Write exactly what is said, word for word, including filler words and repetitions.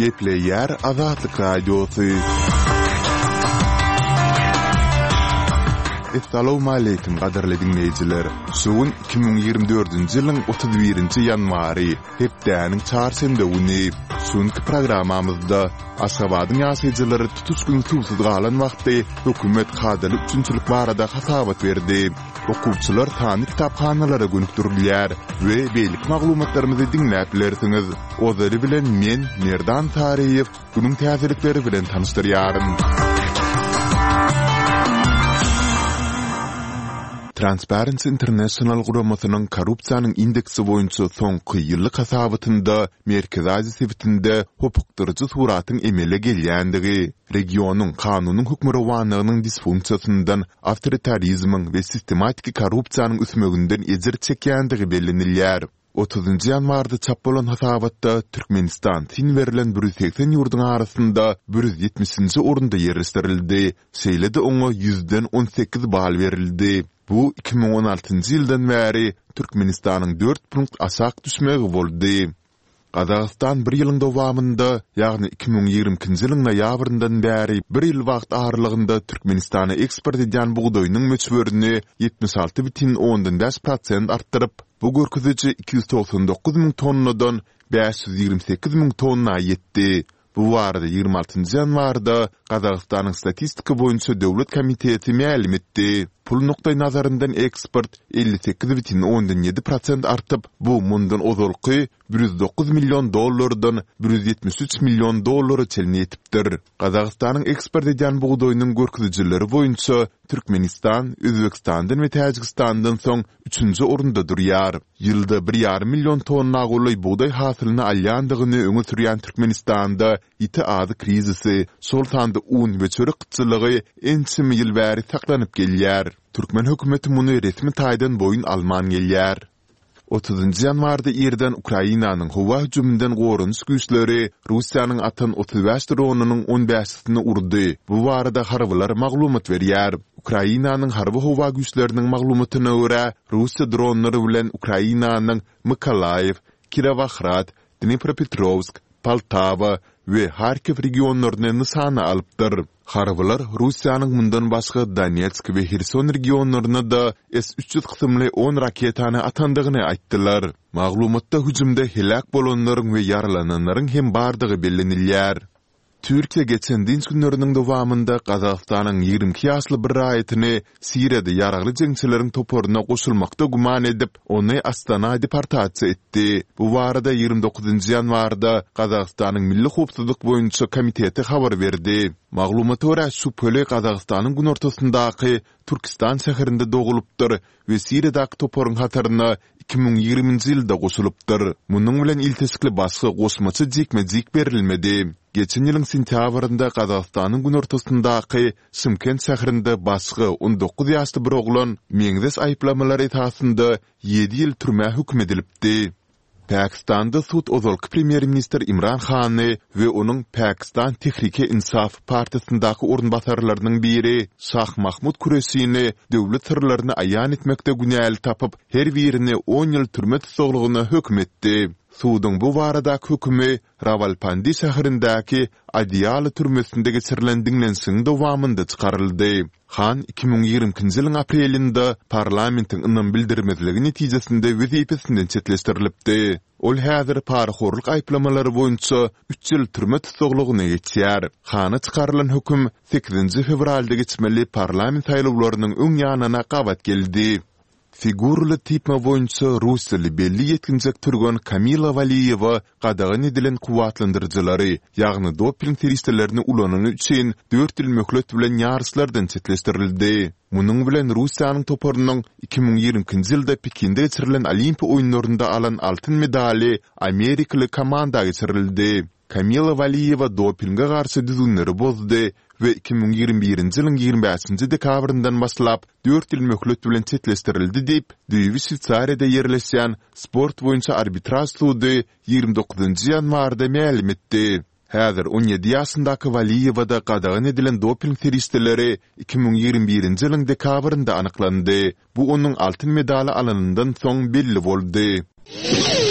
Gepleýär Azatlyk Radiosy. Essalawmaleýkim gadyrly diňleýjiler! Şu gün iki müň ýigrimi dördünji ýylyň otuz birinji ýanwary, hepdäniň çarşenbe güni. Şu günki programmamyzda Aşgabadyň ýaşaýjylary tutuş gün suwsuz galan wagty hökümet kadaly üpjünçilik barada hasabat berdi. Okuwçylar sanly kitaphanalara gönükdirilýär we beýleki maglumatlarymyzy diňläp bilersiňiz. Ozaly bilen men, Merdan Saryýew, günüň täzelikleri bilen tanyşdyrýaryn. Transparency International guramasynyň korrupsiýanyň indeksi boýunça soňky ýyllyk hasabatynda Merkezi Aziýa sebitinde hopukdyryjy suratyň emele gelýändigi, regionyň kanunyň hökmürowanlygynyň disfunksiýasyndan, awtoritarizmiň we sistematiki korrupsiýanyň ösmeginden ejir çekýändigi bellenilýär. Otuzynjy ýanwarda çap bolan hasabatda Türkmenistan syn berlen bir ýüz segsen ýurduň arasynda bir ýüz ýetmişinji orunda ýerleşdirildi, şeýle-de oňa ýüzden on sekiz bal berildi. Bu iki müň on altynjy ýyldan bäri Türkmenistanyň dört punkt aşak düşmegi boldy. Gazagystan bir ýylyň dowamynda, ýagny iki müň ýigrimi ikinji ýylyň noýabryndan bäri bir ýyl wagt aralygynda Türkmenistana eksport edýän bugdaýynyň möçberini ýetmiş alty bütin ondan bäş prosent artdyryp, bu görkeziji iki ýüz togsan dokuz müň tonnadan bäş ýüz ýigrimi sekiz müň tonna ýetdi. Bu barada ýigrimi altynjy ýanwarda Gazagystanyň Statistika boýunça döwlet komiteti mälim etdi. Pul nukdaýnazaryndan eksport elli sekiz bütin ondan ýedi prosent artyp, bu mundan ozalky bir ýüz dokuz million dollardan bir ýüz ýetmiş üç million dollara çenli ýetipdir. Gazagystanyň eksport edýän bugdaýynyň görkezijileri boýunça Türkmenistan Özbegistandan we Täjigistandan soň üçünji orunda durýar. Ýylda bir ýarym million tonna golaý bugdaý hasylyny alýandygyny öňe sürýän Türkmenistanda ýiti azyk krizisi, şol sanda un we çörek gytçylygy ençeme ýyl bäri saklanyp gelýär. Türkmen hökümeti muny resmi taýdan boýun alman gelýär. Otuzynjy ýanwarda irden Ukrainanyň howa hüjüminden goranyş güýçleri Russiýanyň atan otuz bäş dronynyň on bäşisini urdy, bu barada harbylar maglumat berýär. Ukrainanyň harby-howa güýçleriniň maglumatyna görä, Russiýa dronlary bilen Ukrainanyň Mykolaýiw, Kirowohrad, Dnipropetrowsk, Poltawa we Harkiw regionlaryny nyşana alypdyr. Harbylar Russiýanyň mundan başga Donetsk we Herson regionlaryna-da S üç ýüz kysymly on raketany atandygyny aýtdylar. Maglumatda hüjümde heläk bolanlaryň we ýaralananlaryň hem bardygy bellenilýär. Türkiýe geçen dynç günleriniň dowamynda Gazagystanyň ýigrimi iki ýaşly bir raýatyny Siriýada ýaragly jeňçileriň toparyna goşulmakda güman edip, ony Astana deportasiýa etdi. Bu barada ýigrimi dokuzynjy ýanwarda Gazagystanyň Milli howpsuzlyk boýunça komiteti habar berdi. Maglumata görä, şübheli Gazagystanyň günortasyndaky Türkistan şäherinde dogulypdyr we Siriýadaky toparyň hataryna iki müň ýigriminji ýylda goşulypdyr. Munuň bilen ilteşikli başga goşmaça jikme-jik berilmedi. Geçen ýylyň sentýabrynda Gazagystanyň günortasyndaky Şymkent şäherinde başga on dokuz ýaşly bir oglan meňzeş aýyplamalar esasynda ýedi ýyl türmä höküm edilipdi. Pakistanda sud ozalky premýer-ministr Imran Hany we onuň Pakistan Tehrike-Insaf partiýasyndaky orunbasarlarynyň biri Şah Mahmud Kureşini döwlet syrlaryny aýan etmekde günäli tapyp, her birini on ýyl türme tussaglygyna höküm etdi. Suduň bu baradaky hökümi Rawalpindi şäherindäki Adiala türmesinde geçirilen diňlenişigiň dowamynda çykaryldy. Han iki müň ýigrimi ikinji ýylyň aprelinde parlamentiň ynam bildirmezligi netijesinde wezipesinden çetleşdirilipdi. Ol häzir parahorluk aýyplamalary boýunça üç ýyl türme tussaglygyna geçýär. Hana çykarylan höküm sekizinji fewralda geçmeli parlament saýlawlarynyň öň ýanyna gabat geldi. Figuraly typma boýunça russiýaly belli ýetginjek türgen Kamila Waliýewa gadagan edilen kuwwatlandyryjylary, ýagny doping serişdelerini ulanany üçin dört ýyl möhlet bilen ýaryşlardan çetleşdirildi. Munuň bilen Russiýanyň toparynyň iki müň ýigrimi ikinji ýylda Pekinde geçirilen Olimpiýa oýunlarynda alan altyn medaly amerikaly komanda geçirildi. Kamila Waliýewa dopinge garşy düzgünleri bozdy we iki müň ýigrimi birinji ýylyň ýigrimi bäşinji dekabryndan başlap dört ýyl möhlet bilen çetleşdirildi diýip, düýbi Şweýsariýada ýerleşýän Sport boýunça arbitraž sudy ýigrimi dokuzynjy ýanwarda mälim etdi. Häzir on ýedi ýaşyndaky Waliýewada gadagan edilen doping serişdeleri iki müň ýigrimi birinji ýylyň dekabrynda anyklandy. Bu onuň altyn medaly alanyndan soň belli boldy.